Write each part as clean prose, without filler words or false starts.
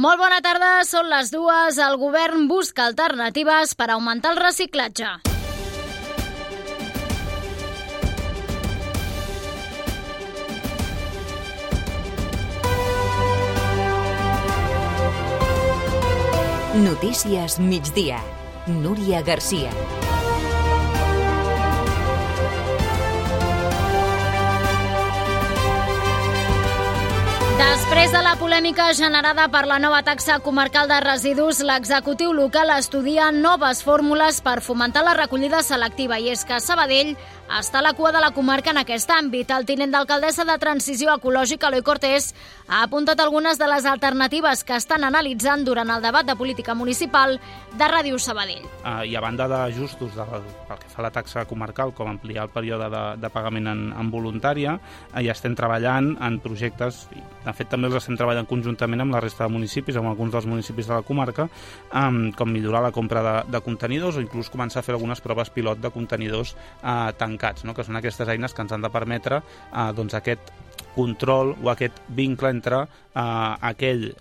Molt bona tarda, són les 2. El govern busca alternatives per augmentar el reciclatge. Notícies migdia. Núria Garcia. Després de la polèmica generada per la nova taxa comarcal de residus, l'executiu local estudia noves fórmules per fomentar la recollida selectiva, i és que Sabadell està a la cua de la comarca en aquest àmbit. El tinent d'alcaldessa de Transició Ecològica, Eloi Cortés, ha apuntat algunes de les alternatives que estan analitzant durant el debat de política municipal de Ràdio Sabadell. I a banda d'ajustos pel que fa a la taxa comarcal, com ampliar el període de pagament en voluntària, ja estem treballant en projectes, de fet també els estem treballant conjuntament amb la resta de municipis, amb alguns dels municipis de la comarca, com millorar la compra de contenidors o inclús començar a fer algunes proves pilot de contenidors tancats, no? Que són aquestes eines que ens han de permetre aquest control o aquest vincle entre aquell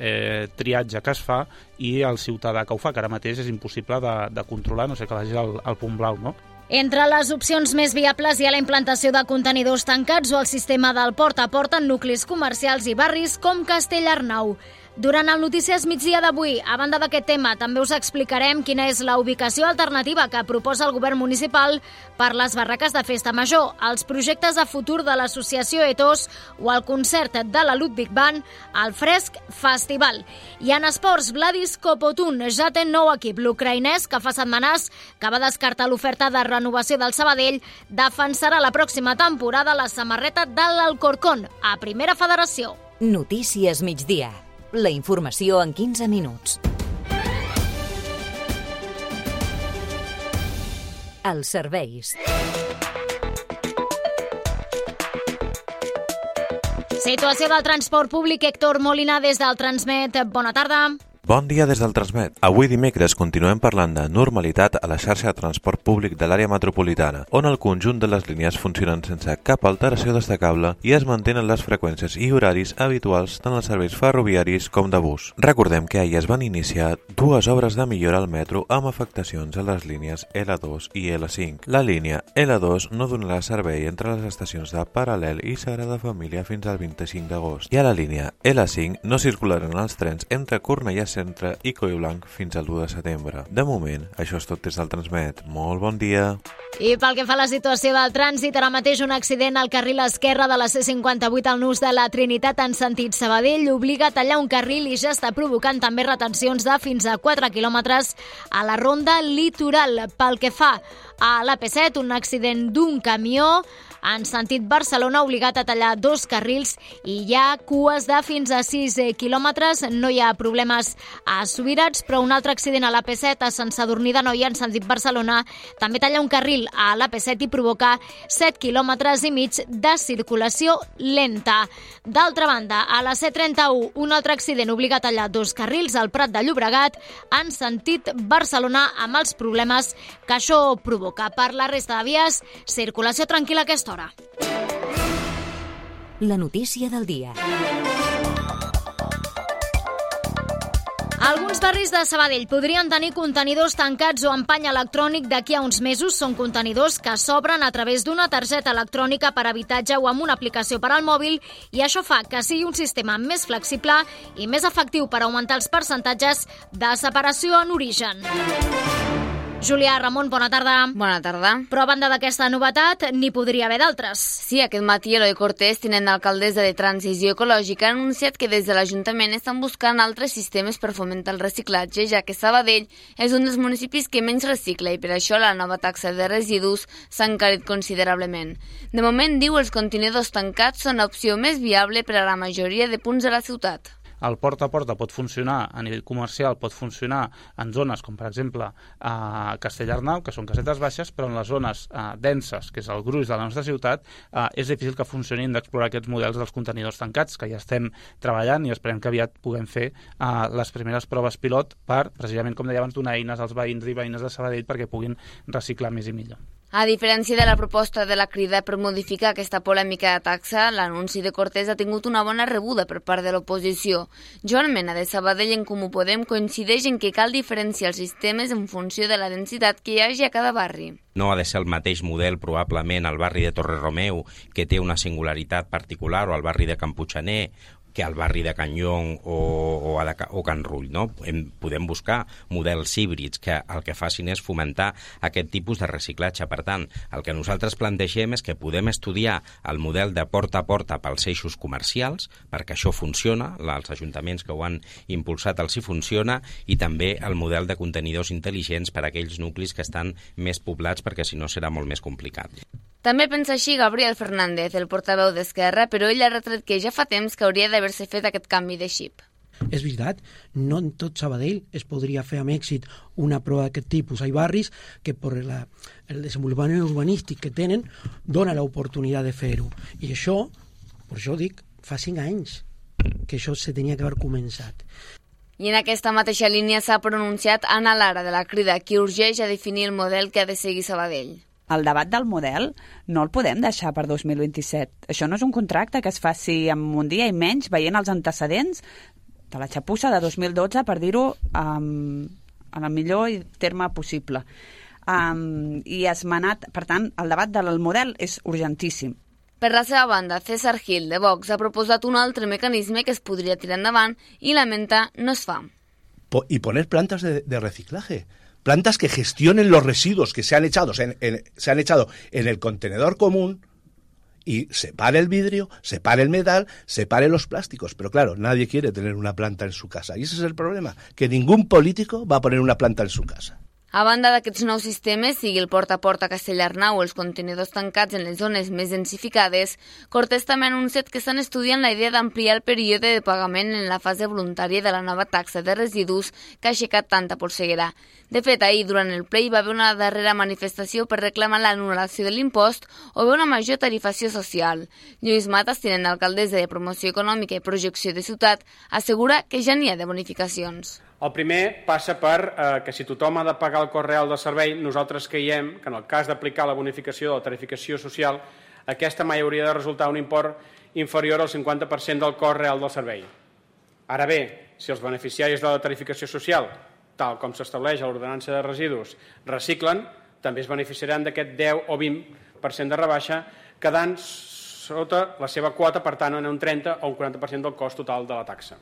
triatge que es fa i el ciutadà que ho fa, que ara mateix és impossible de controlar, no sé que vagi al punt blau, no? Entre les opcions més viables hi ha la implantació de contenidors tancats o el sistema del porta a porta en nuclis comercials i barris com Castellarnau. Durant el Notícies Migdia d'avui, a banda d'aquest tema, també us explicarem quina és la ubicació alternativa que proposa el govern municipal per les barraques de festa major, els projectes de futur de l'associació Etos o el concert de la Ludwig Band al Fresc Festival. I en esports, Vladis Kopotun ja té nou equip. L'ucraïnès, que fa setmanes que va descartar l'oferta de renovació del Sabadell, defensarà la pròxima temporada la samarreta de l'Alcorcón a Primera Federació. Notícies migdia. La informació en 15 minuts. Els serveis. Situació del transport públic. Héctor Molina, des del Transmet. Bona tarda. Bon dia des del Transmet. Avui dimecres continuem parlant de normalitat a la xarxa de transport públic de l'àrea metropolitana, on el conjunt de les línies funcionen sense cap alteració destacable i es mantenen les freqüències i horaris habituals tant als serveis ferroviaris com de bus. Recordem que ahir es van iniciar dues obres de millora al metro amb afectacions a les línies L2 i L5. La línia L2 no donarà servei entre les estacions de Paral·lel i Sagrada Família fins al 25 d'agost. I a la línia L5 no circularan els trens entre Cornellà Centre i Collblanc fins al 1 de setembre. De moment, això és tot des del Transmet. Molt bon dia. I pel que fa a la situació del trànsit, ara mateix un accident al carril esquerre de la C58 al nus de la Trinitat en sentit Sabadell obliga a tallar un carril i ja està provocant també retencions de fins a 4 quilòmetres a la ronda litoral. Pel que fa a l'AP7, un accident d'un camió en sentit Barcelona obligat a tallar 2 carrils i hi ha cues de fins a 6 quilòmetres. No hi ha problemes a Subirats, però un altre accident a l'AP7 a Sant Sadurní d'Anoia en sentit Barcelona també talla un carril a l'AP7 i provoca 7 quilòmetres i mig de circulació lenta. D'altra banda, a la C31, un altre accident obliga a tallar 2 carrils al Prat de Llobregat en sentit Barcelona amb els problemes que això provoca. Per la resta de vies, circulació tranquil·la a aquesta hora. La notícia del dia. Alguns barris de Sabadell podrien tenir contenidors tancats o amb pany electrònic d'aquí a uns mesos. Són contenidors que s'obren a través d'una targeta electrònica per habitatge o amb una aplicació per al mòbil, i això fa que sigui un sistema més flexible i més efectiu per augmentar els percentatges de separació en origen. Julià, Ramon, bona tarda. Bona tarda. Però a banda d'aquesta novetat, n'hi podria haver d'altres. Sí, aquest matí Eloi Cortés, tinent d'alcaldessa de Transició Ecològica, ha anunciat que des de l'Ajuntament estan buscant altres sistemes per fomentar el reciclatge, ja que Sabadell és un dels municipis que menys recicla i per això la nova taxa de residus s'ha encarit considerablement. De moment, diu, els contenidors tancats són l'opció més viable per a la majoria de punts de la ciutat. El porta a porta pot funcionar a nivell comercial, pot funcionar en zones com per exemple a Castellarnau, que són casetes baixes, però en les zones denses, que és el gruix de la nostra ciutat, és difícil que funcionin d'explorar aquests models dels contenidors tancats, que ja estem treballant i esperem que aviat puguem fer les primeres proves pilot per, precisament com deia abans, donar eines als veïns i veïnes de Sabadell perquè puguin reciclar més i millor. A diferència de la proposta de la Crida per modificar aquesta polèmica de taxa, l'anunci de Cortés ha tingut una bona rebuda per part de l'oposició. Joan Mena, de Sabadell, en Comú Podem, coincideix en que cal diferenciar els sistemes en funció de la densitat que hi hagi a cada barri. No ha de ser el mateix model, probablement, al barri de Torre-Romeu, que té una singularitat particular, o al barri de Camputxaner, que al barri de Can Llong o Can Rull, no? Podem buscar models híbrids que el que facin és fomentar aquest tipus de reciclatge. Per tant, el que nosaltres plantegem és que podem estudiar el model de porta a porta pels eixos comercials, perquè això funciona, els ajuntaments que ho han impulsat els hi funciona, i també el model de contenidors intel·ligents per a aquells nuclis que estan més poblats, perquè si no serà molt més complicat. També pensa així Gabriel Fernández, el portaveu d'Esquerra, però ell ha retret que ja fa temps que hauria d'haver-se fet aquest canvi de xip. És veritat, no en tot Sabadell es podria fer amb èxit una prova d'aquest tipus. Hi ha barris que per el desenvolupament urbanístic que tenen dona l'oportunitat de fer-ho. I això, per això dic, fa 5 anys que això se tenia que haver començat. I en aquesta mateixa línia s'ha pronunciat Anna Lara, de la Crida, qui urgeix a definir el model que ha de seguir Sabadell. El debat del model no el podem deixar per 2027. Això no és un contracte que es faci en un dia i menys, veient els antecedents de la xapussa de 2012, per dir-ho en el millor terme possible. I esmenat, per tant, el debat del model és urgentíssim. Per la seva banda, César Gil, de Vox, ha proposat un altre mecanisme que es podria tirar endavant i lamenta no es fa. Y poner plantas de reciclaje. Plantas que gestionen los residuos que se han echado en el contenedor común y separe el vidrio, separe el metal, separe los plásticos. Pero claro, nadie quiere tener una planta en su casa. Y ese es el problema, que ningún político va a poner una planta en su casa. A banda d'aquests nous sistemes, sigui el porta a porta a Castellarnau o els contenidors tancats en les zones més densificades, Cortés també ha anunciat que estan estudiant la idea d'ampliar el període de pagament en la fase voluntària de la nova taxa de residus que ha aixecat tanta polseguera. De fet, ahir, durant el ple, hi va haver una darrera manifestació per reclamar l'anul·lació de l'impost o bé una major tarifació social. Lluís Matas, tinent d'alcaldessa de Promoció Econòmica i Projecció de Ciutat, assegura que ja n'hi ha de bonificacions. El primer passa per que si tothom ha de pagar el cost real del servei, nosaltres creiem que en el cas d'aplicar la bonificació de la tarificació social, aquesta mai hauria de resultar un import inferior al 50% del cost real del servei. Ara bé, si els beneficiaris de la tarificació social, tal com s'estableix a l'ordenança de residus, reciclen, també es beneficiaran d'aquest 10 o 20% de rebaixa, quedant sota la seva quota, per tant, en un 30 o un 40% del cost total de la taxa.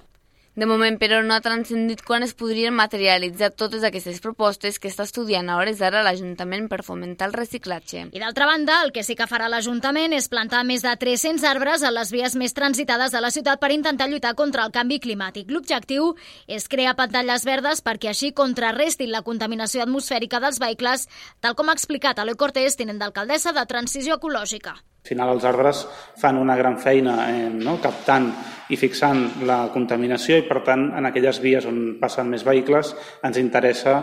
De moment, però, no ha transcendit quan es podrien materialitzar totes aquestes propostes que està estudiant a hores d'ara l'Ajuntament per fomentar el reciclatge. I d'altra banda, el que sí que farà l'Ajuntament és plantar més de 300 arbres a les vies més transitades de la ciutat per intentar lluitar contra el canvi climàtic. L'objectiu és crear pantalles verdes perquè així contrarrestin la contaminació atmosfèrica dels vehicles, tal com ha explicat Eloi Cortés, tinent d'alcaldessa de Transició Ecològica. Al final els arbres fan una gran feina captant i fixant la contaminació i per tant en aquelles vies on passen més vehicles ens interessa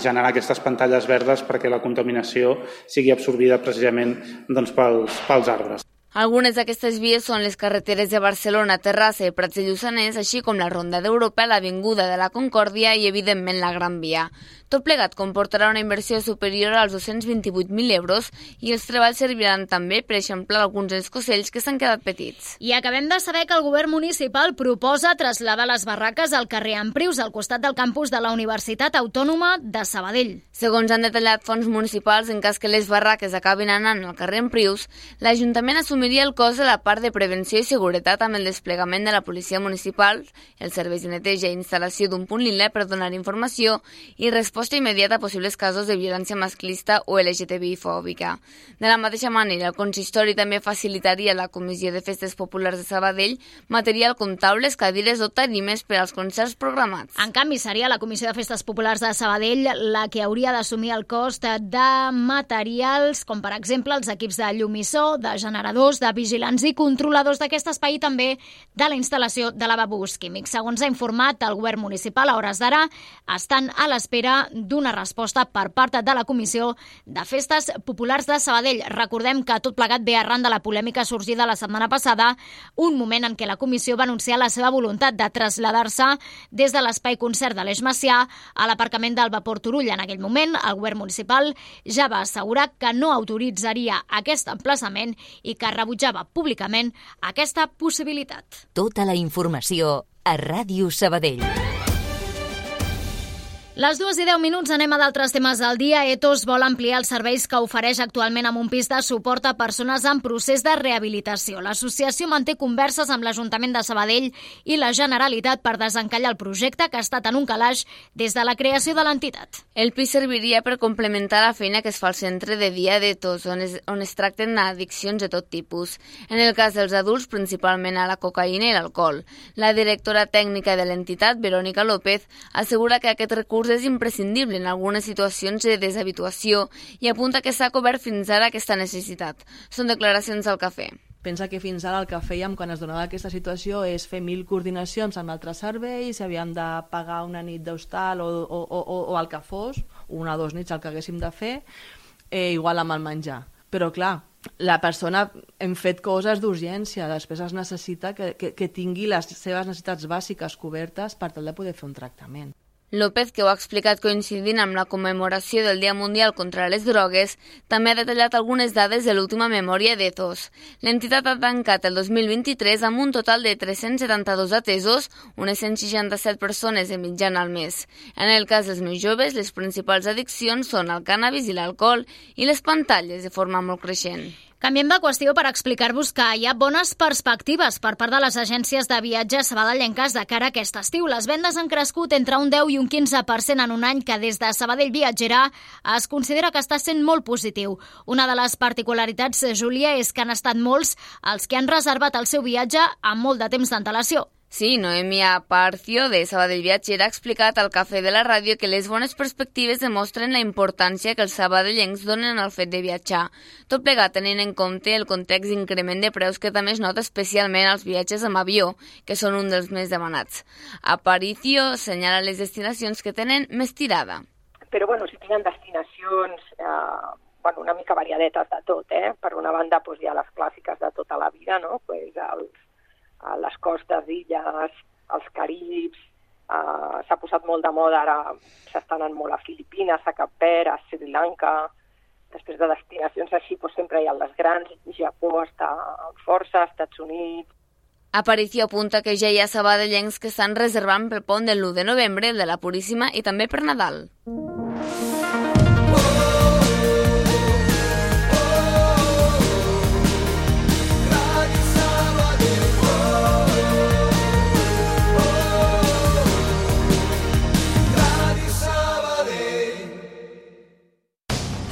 generar aquestes pantalles verdes perquè la contaminació sigui absorbida precisament pels arbres. Algunes d'aquestes vies són les carreteres de Barcelona, Terrassa i Prats de Lluçanès, així com la Ronda d'Europa, l'Avinguda de la Concòrdia i, evidentment, la Gran Via. Tot plegat comportarà una inversió superior als 228.000 euros i els treballs serviran també per eixamplar alguns escocells que s'han quedat petits. I acabem de saber que el govern municipal proposa traslladar les barraques al carrer Emprius, al costat del campus de la Universitat Autònoma de Sabadell. Segons han detallat fonts municipals, en cas que les barraques acabin anant al carrer Emprius, l'Ajuntament assumiria el cost de la part de prevenció i seguretat amb el desplegament de la policia municipal, els serveis de neteja i instal·lació d'un punt lila per donar informació i resposta immediata a possibles casos de violència masclista o LGTBI-fòbica. De la mateixa manera, el consistori també facilitaria a la Comissió de Festes Populars de Sabadell material com taules, cadires o tarimes per als concerts programats. En canvi, seria la Comissió de Festes Populars de Sabadell la que hauria d'assumir el cost de materials com, per exemple, els equips de llum i so, de generadors, treballadors, de vigilants i controladors d'aquest espai i també de la instal·lació de lavabos químics. Segons ha informat el govern municipal, a hores d'ara estan a l'espera d'una resposta per part de la Comissió de Festes Populars de Sabadell. Recordem que tot plegat ve arran de la polèmica sorgida la setmana passada, un moment en què la comissió va anunciar la seva voluntat de traslladar-se des de l'espai concert de l'Eix Macià a l'aparcament del Vapor Turull. En aquell moment, el govern municipal ja va assegurar que no autoritzaria aquest emplaçament i que rebutjava públicament aquesta possibilitat. Tota la informació a Ràdio Sabadell. Les 2:10 anem a d'altres temes del dia. Etos vol ampliar els serveis que ofereix actualment amb un pis de suport a persones en procés de rehabilitació. L'associació manté converses amb l'Ajuntament de Sabadell i la Generalitat per desencallar el projecte, que ha estat en un calaix des de la creació de l'entitat. El pis serviria per complementar la feina que es fa al centre de dia d'Etos, on es tracten addiccions de tot tipus. En el cas dels adults, principalment a la cocaïna i l'alcohol. La directora tècnica de l'entitat, Verónica López, assegura que aquest recurs és imprescindible en algunes situacions de deshabituació i apunta que s'ha cobert fins ara aquesta necessitat. Són declaracions al Cafè. Pensa que fins ara el que fèiem quan es donava aquesta situació és fer 1.000 coordinacions amb altres serveis, si havíem de pagar una nit d'hostal o el que fos, una o 2 nits el que haguéssim de fer, igual amb el menjar. Però clar, la persona hem fet coses d'urgència, després es necessita que tingui les seves necessitats bàsiques cobertes per tal de poder fer un tractament. López, que ho ha explicat coincidint amb la commemoració del Dia Mundial contra les Drogues, també ha detallat algunes dades de l'última memòria d'Etos. L'entitat ha tancat el 2023 amb un total de 372 atesos, unes 167 persones de mitjana al mes. En el cas dels més joves, les principals addiccions són el cànnabis i l'alcohol i les pantalles de forma molt creixent. Canviem de qüestió per explicar-vos que hi ha bones perspectives per part de les agències de viatge sabadellenques de cara a aquest estiu. Les vendes han crescut entre un 10 i un 15% en un any que des de Sabadell Viatgera es considera que està sent molt positiu. Una de les particularitats, Júlia, és que han estat molts els que han reservat el seu viatge amb molt de temps d'antelació. Sí, Noemia Parcio, de Sabadell Viatgera, ha explicat al Cafè de la Ràdio que les bones perspectives demostren la importància que els sabadellencs donen al fet de viatjar. Tot plegat tenint en compte el context d'increment de preus que també es nota especialment als viatges amb avió, que són un dels més demanats. Aparicio senyala les destinacions que tenen més tirada. Però sí tenen destinacions una mica variadetes de tot. Per una banda hi ha les clàssiques de tota la vida, no? A les costes d'illes, als Caribs, s'ha posat molt de moda, ara s'està anant molt a Filipines, a Cap Verd, a Sri Lanka. Després de destinacions així sempre hi ha les grans, Japó està força, Estats Units. Aparicio apunta que ja hi ha sabadellencs que estan reservant pel pont del 1 de novembre, el de la Puríssima i també per Nadal.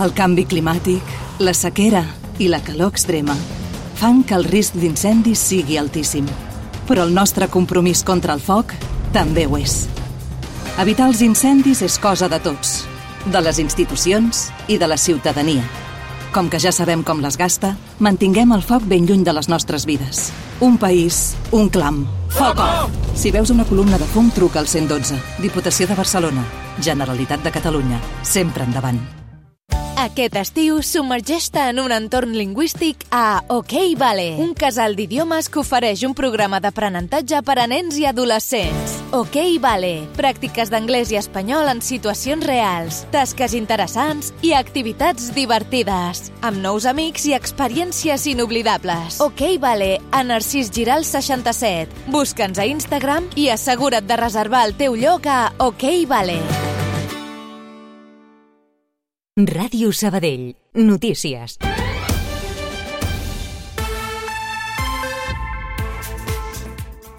El canvi climàtic, la sequera i la calor extrema fan que el risc d'incendis sigui altíssim. Però el nostre compromís contra el foc també ho és. Evitar els incendis és cosa de tots, de les institucions i de la ciutadania. Com que ja sabem com les gasta, mantinguem el foc ben lluny de les nostres vides. Un país, un clam. Foc off! Si veus una columna de fum, truca al 112. Diputació de Barcelona. Generalitat de Catalunya. Sempre endavant. Aquest estiu, submergeix-te en un entorn lingüístic a OK Vale, un casal d'idiomes que ofereix un programa d'aprenentatge per a nens i adolescents. OK Vale, pràctiques d'anglès i espanyol en situacions reals, tasques interessants i activitats divertides, amb nous amics i experiències inoblidables. OK Vale, a Narcís Giral 67. Busca'ns a Instagram i assegura't de reservar el teu lloc a OK Vale. Ràdio Sabadell. Notícies.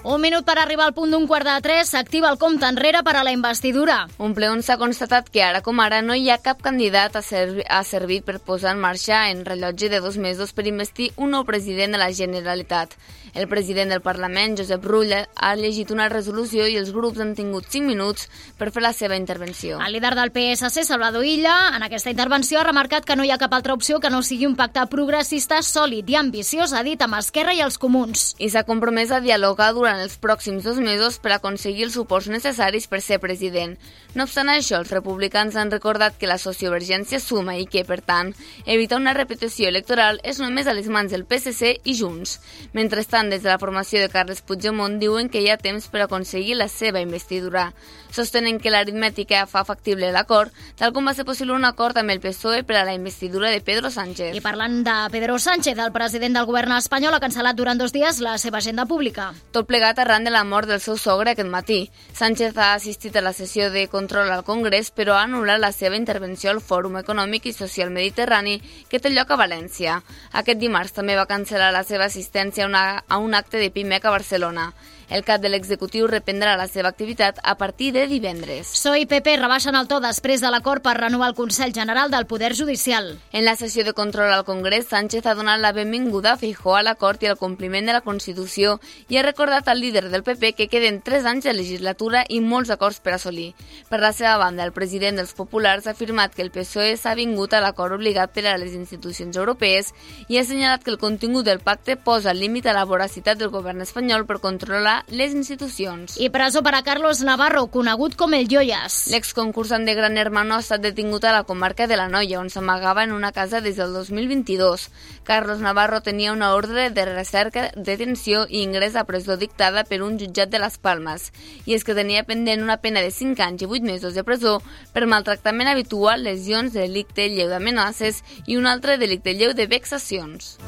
Un minut per arribar al punt d'2:45, s'activa el compte enrere per a la investidura. Un ple on s'ha constatat que ara com ara no hi ha cap candidat ha servit per posar en marxa en rellotge de 2 mesos per investir un nou president de la Generalitat. El president del Parlament, Josep Rull, ha llegit una resolució i els grups han tingut 5 minuts per fer la seva intervenció. El líder del PSC, Salvador Illa, en aquesta intervenció ha remarcat que no hi ha cap altra opció que no sigui un pacte progressista, sòlid i ambiciós, ha dit, amb Esquerra i els Comuns. I s'ha compromès a dialogar durant els pròxims 2 mesos per aconseguir els suports necessaris per ser president. No obstant això, els republicans han recordat que la sociovergència suma i que, per tant, evitar una repetició electoral és només a les mans del PSC i Junts. Mentrestant, des de la formació de Carles Puigdemont diuen que hi ha temps per aconseguir la seva investidura. Sostenen que l'aritmètica fa factible l'acord, tal com va ser possible un acord amb el PSOE per a la investidura de Pedro Sánchez. I parlant de Pedro Sánchez, el president del govern espanyol ha cancel·lat durant 2 dies la seva agenda pública. Tot plegat arran de la mort del seu sogre aquest matí. Sánchez ha assistit a la sessió de control al Congrés, però ha anul·lat la seva intervenció al Fòrum Econòmic i Social Mediterrani, que té lloc a València. Aquest dimarts també va cancel·lar la seva assistència a un acte de PIMEC a Barcelona. El cap de l'executiu reprendrà la seva activitat a partir de divendres. PSOE i PP rebaixen el to després de l'acord per renovar el Consell General del Poder Judicial. En la sessió de control al Congrés, Sánchez ha donat la benvinguda a Feijóo a l'acord i al compliment de la Constitució i ha recordat al líder del PP que queden 3 anys de legislatura i molts acords per assolir. Per la seva banda, el president dels Populars ha afirmat que el PSOE s'ha vingut a l'acord obligat per a les institucions europees i ha assenyalat que el contingut del pacte posa límit a la voracitat del govern espanyol per controlar les institucions. I presó per a Carlos Navarro, conegut com el Joyas. L'exconcursant de Gran Hermano ha estat detingut a la comarca de l'Anoia, on s'amagava en una casa des del 2022. Carlos Navarro tenia una ordre de recerca, detenció i ingrés a presó dictada per un jutjat de Las Palmas. I és que tenia pendent una pena de 5 anys i 8 mesos de presó per maltractament habitual, lesions, delicte lleu d'amenaces i un altre delicte lleu de vexacions.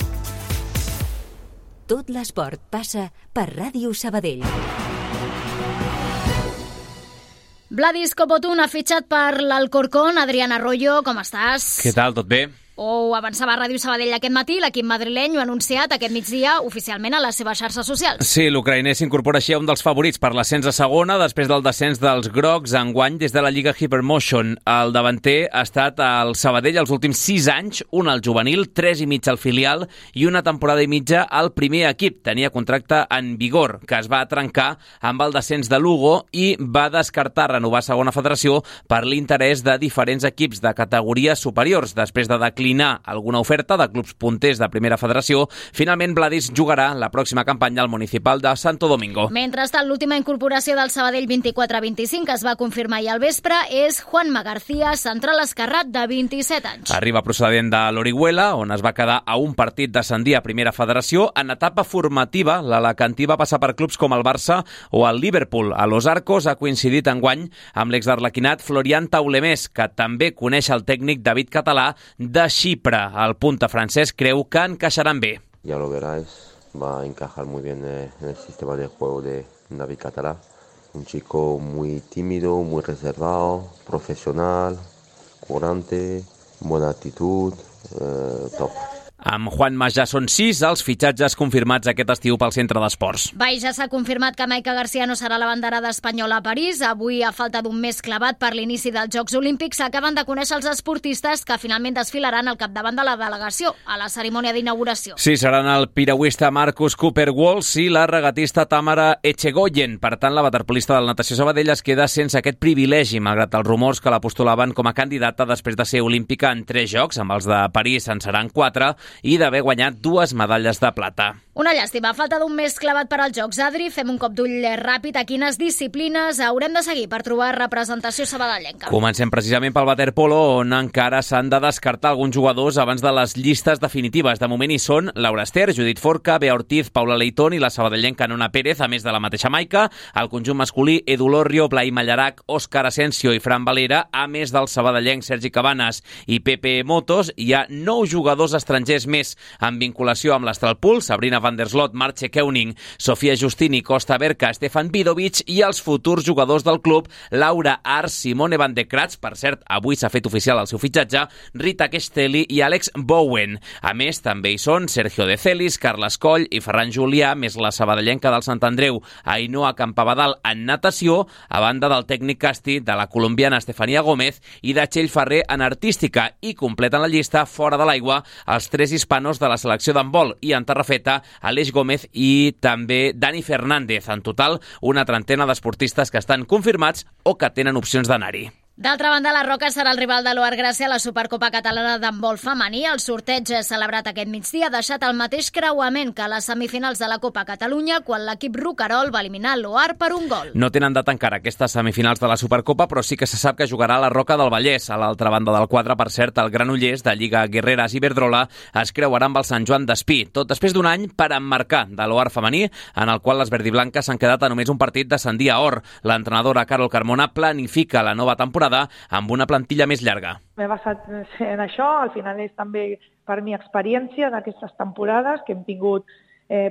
Tot l'esport passa per Ràdio Sabadell. Vladis Copotun ha fitxat per l'Alcorcón. Adrián Arroyo, com estàs? Què tal, tot bé? Ho avançava a Ràdio Sabadell aquest matí, l'equip madrileny ho ha anunciat aquest migdia oficialment a les seves xarxes socials. Sí, l'ucraïner s'incorpora així a un dels favorits per l'ascens a segona després del descens dels grocs enguany des de la Lliga Hypermotion. El davanter ha estat al Sabadell els últims 6 anys, un al juvenil, 3 i mig al filial i una temporada i mitja al primer equip. Tenia contracte en vigor, que es va trencar amb el descens de Lugo i va descartar renovar segona federació per l'interès de diferents equips de categories superiors. Després de declinar alguna oferta de clubs punters de primera federació, finalment Vladis jugarà la pròxima campanya al Municipal de Santo Domingo. Mentrestant, l'última incorporació del Sabadell 24-25 que es va confirmar ahir al vespre és Juanma García, central esquerrat de 27 anys. Arriba procedent de l'Orihuela, on es va quedar a un partit d'ascendir a primera federació. En etapa formativa, l'alacantí va passar per clubs com el Barça o el Liverpool. A Los Arcos ha coincidit enguany amb l'ex-d'Arlequinat Florian Taulemés, que també coneix el tècnic David Català de Xipre. El punta francès creu que encaixaran bé. Ya lo veráis, va a encajar muy bien en el sistema de juego de David Català. Un chico muy tímido, muy reservado, profesional, curante, buena actitud, top. Amb Juanma ja són 6 els fitxatges confirmats aquest estiu pel Centre d'Esports. Ja s'ha confirmat que Maica García no serà l'abanderada espanyola a París. Avui, a falta d'un mes clavat per l'inici dels Jocs Olímpics, s'acaben de conèixer els esportistes que finalment desfilaran al capdavant de la delegació a la cerimònia d'inauguració. Sí, seran el piragüista Marcus Cooper-Walsh i la regatista Tamara Echegoyen. Per tant, la waterpolista del Natació Sabadell es queda sense aquest privilegi, malgrat els rumors que la postulaven com a candidata després de ser olímpica en 3 jocs, amb els de París en seran 4, i d'haver guanyat 2 medalles de plata. Una llàstima, a falta d'un mes clavat per als Jocs. Adri, fem un cop d'ull ràpid a quines disciplines haurem de seguir per trobar representació sabadellenca. Comencem precisament pel waterpolo, on encara s'han de descartar alguns jugadors abans de les llistes definitives. De moment hi són Laura Ester, Judit Forca, Bea Ortiz, Paula Leitón i la sabadellenca Nona Pérez, a més de la mateixa Maica. El conjunt masculí, Edu Lorrio, Blai Mallarac, Òscar Asensio i Fran Valera, a més del sabadellenc Sergi Cabanes i Pepe Motos. Hi ha 9 jugadors estrangers 3 més en vinculació amb l'Astralpool, Sabrina van der Sloot, Marche Keuning, Sofia Justini, Costa Berca, Stefan Vidovic i els futurs jugadors del club, Laura Ars, Simone van de Kratz, per cert, avui s'ha fet oficial el seu fitxatge, Rita Castelli i Alex Bowen. A més, també hi són Sergio de Celis, Carles Coll i Ferran Julià, més la sabadellenca del Sant Andreu, Ainhoa Campabadal en natació, a banda del tècnic casti de la colombiana Estefania Gómez i de Txell Ferrer en artística, i completen la llista fora de l'aigua els 3 hispanos de la selecció d'handbol i en terrafeta, Aleix Gómez i també Dani Fernández. En total, una trentena d'esportistes que estan confirmats o que tenen opcions d'anar-hi. D'altra banda, la Roca serà el rival de l'Oar Gràcia a la Supercopa Catalana d'handbol femení. El sorteig celebrat aquest migdia ha deixat el mateix creuament que les semifinals de la Copa Catalunya, quan l'equip roquerol va eliminar l'Oar per un gol. No tenen data encara aquestes semifinals de la Supercopa, però sí que se sap que jugarà a la Roca del Vallès. A l'altra banda del quadre, per cert, el Granollers, de Lliga Guerreras i Iberdrola, es creuarà amb el Sant Joan d'Espí, tot després d'un any per emmarcar de l'Oar femení, en el qual les verdiblanques s'han quedat a només un partit d'ascendir a Or. L'entrenadora Carol Carmona planifica la nova temporada amb una plantilla més llarga. M'he basat en això, al final és també per mi experiència d'aquestes temporades, que hem tingut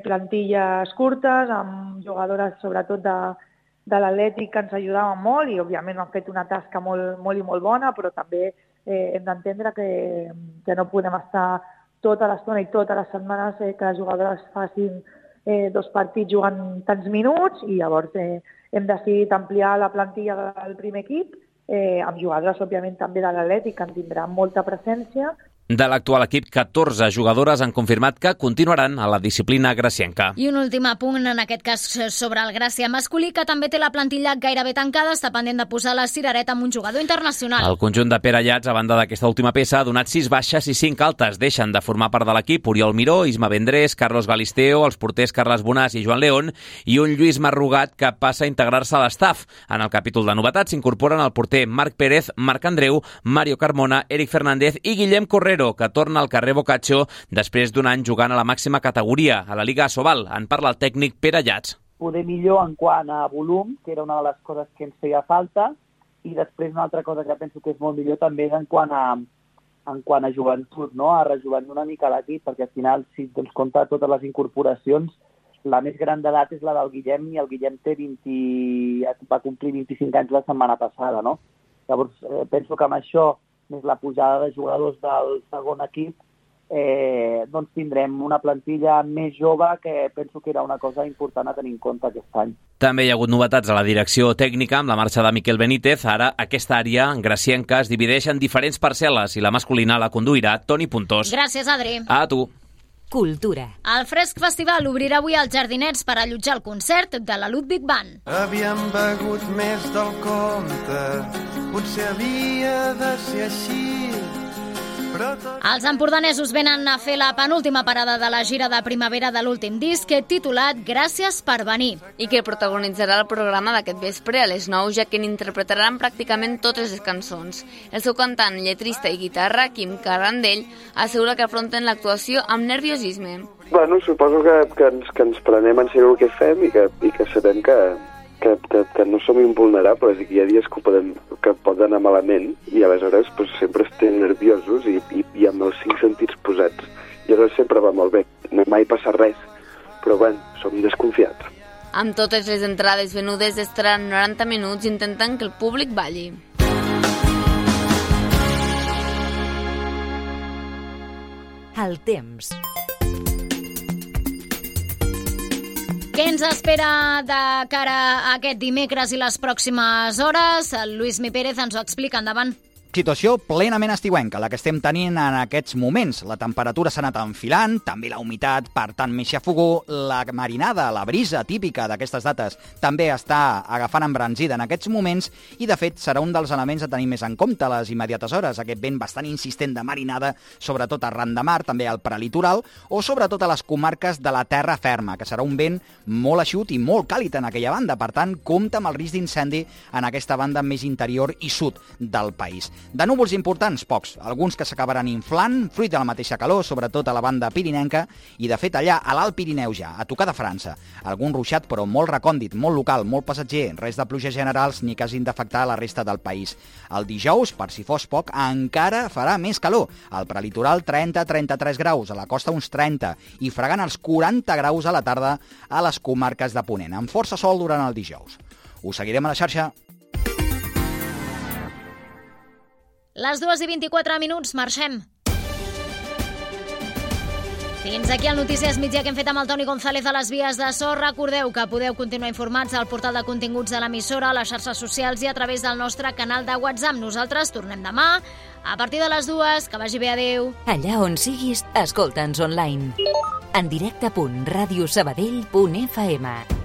plantilles curtes, amb jugadores sobretot de l'Atlètic que ens ajudaven molt i òbviament han fet una tasca molt i molt bona, però també hem d'entendre que no podem estar tota l'estona i totes les setmanes que les jugadores facin 2 partits jugant tants minuts, i llavors hem decidit ampliar la plantilla del primer equip, amb jugadores, òbviament, també de l'Atlètic, que en tindran molta presència. De l'actual equip, 14 jugadores han confirmat que continuaran a la disciplina gracienca. I un últim apunt, en aquest cas sobre el Gràcia masculí, que també té la plantilla gairebé tancada, està pendent de posar la cirereta amb un jugador internacional. El conjunt de Pere Llats, a banda d'aquesta última peça, ha donat 6 baixes i 5 altes. Deixen de formar part de l'equip Oriol Miró, Isma Vendrés, Carlos Galisteo, els porters Carles Bonàs i Joan León, i un Lluís Marrugat que passa a integrar-se a l'estaf. En el capítol de novetats s'incorporen el porter Marc Pérez, Marc Andreu, Mario Carmona, Eric Fernández i Guillem Correro, que torna al carrer Boccaccio després d'un any jugant a la màxima categoria, a la Liga Asobal. En parla el tècnic Pere Llats. Poder millor en quant a volum, que era una de les coses que ens feia falta, i després una altra cosa que penso que és molt millor també és en quant a joventut, no? A rejovenir una mica l'equip, perquè al final, si ens compta totes les incorporacions, la més gran d'edat és la del Guillem, i el Guillem va complir 25 anys la setmana passada, no? Llavors, penso que amb això, més la pujada de jugadors del segon equip, doncs tindrem una plantilla més jove, que penso que era una cosa important a tenir en compte aquest any. També hi ha hagut novetats a la direcció tècnica amb la marxa de Miquel Benítez. Ara aquesta àrea gracienca es divideix en diferents parcel·les i la masculina la conduirà Toni Puntós. Gràcies, Adri. A tu. Cultura. El Fresc Festival obrirà avui als Jardinets per allotjar el concert de la Ludwig Band. Havíem begut més del compte, potser havia de ser així. Els empordanesos venen a fer la penúltima parada de la gira de primavera de l'últim disc, titulat Gràcies per venir. I que protagonitzarà el programa d'aquest vespre a les 9, ja que n'interpretaran pràcticament totes les cançons. El seu cantant, lletrista i guitarra, Quim Carrandell, assegura que afronten l'actuació amb nerviosisme. Bueno, suposo que ens prenem en sèrio el que fem i que sabem que no som invulnerables i que hi ha dies que poden anar malament, i aleshores sempre estem nerviosos i amb els 5 sentits posats. I aleshores sempre va molt bé. No mai passa res, però som desconfiats. Amb totes les entrades venudes estaran 90 minuts intentant que el públic balli. El temps. Què ens espera de cara a aquest dimecres i les pròximes hores? El Lluís Mi Pérez ens ho explica. Endavant. Situació plenament estiuenca, la que estem tenint en aquests moments. La temperatura s'ha anat enfilant, també la humitat, per tant, més xafogó. La marinada, la brisa típica d'aquestes dates, també està agafant embranzida en aquests moments i, de fet, serà un dels elements a tenir més en compte a les immediates hores. Aquest vent bastant insistent de marinada, sobretot arran de mar, també al prelitoral, o sobretot a les comarques de la terra ferma, que serà un vent molt eixut i molt càlid en aquella banda. Per tant, compta amb el risc d'incendi en aquesta banda més interior i sud del país. De núvols importants, pocs. Alguns que s'acabaran inflant, fruit de la mateixa calor, sobretot a la banda pirinenca, i de fet allà, a l'Alt Pirineu ja, a tocar de França. Algun ruixat, però molt recòndit, molt local, molt passatger, res de pluges generals ni que hagin d'afectar la resta del país. El dijous, per si fos poc, encara farà més calor. Al prelitoral 30-33 graus, a la costa uns 30, i fregant els 40 graus a la tarda a les comarques de Ponent, amb força sol durant el dijous. Us seguirem a la xarxa. Les 2:24, marxem. Fins aquí el Notícies Migdia que hem fet amb el Toni González a les vies de so. Recordeu que podeu continuar informats al portal de continguts de l'emissora, a les xarxes socials i a través del nostre canal de WhatsApp. Nosaltres tornem demà a partir de les 2. Que vagi bé, adeu. Allà on siguis, escolta'ns online. En directe.radiosabadell.fm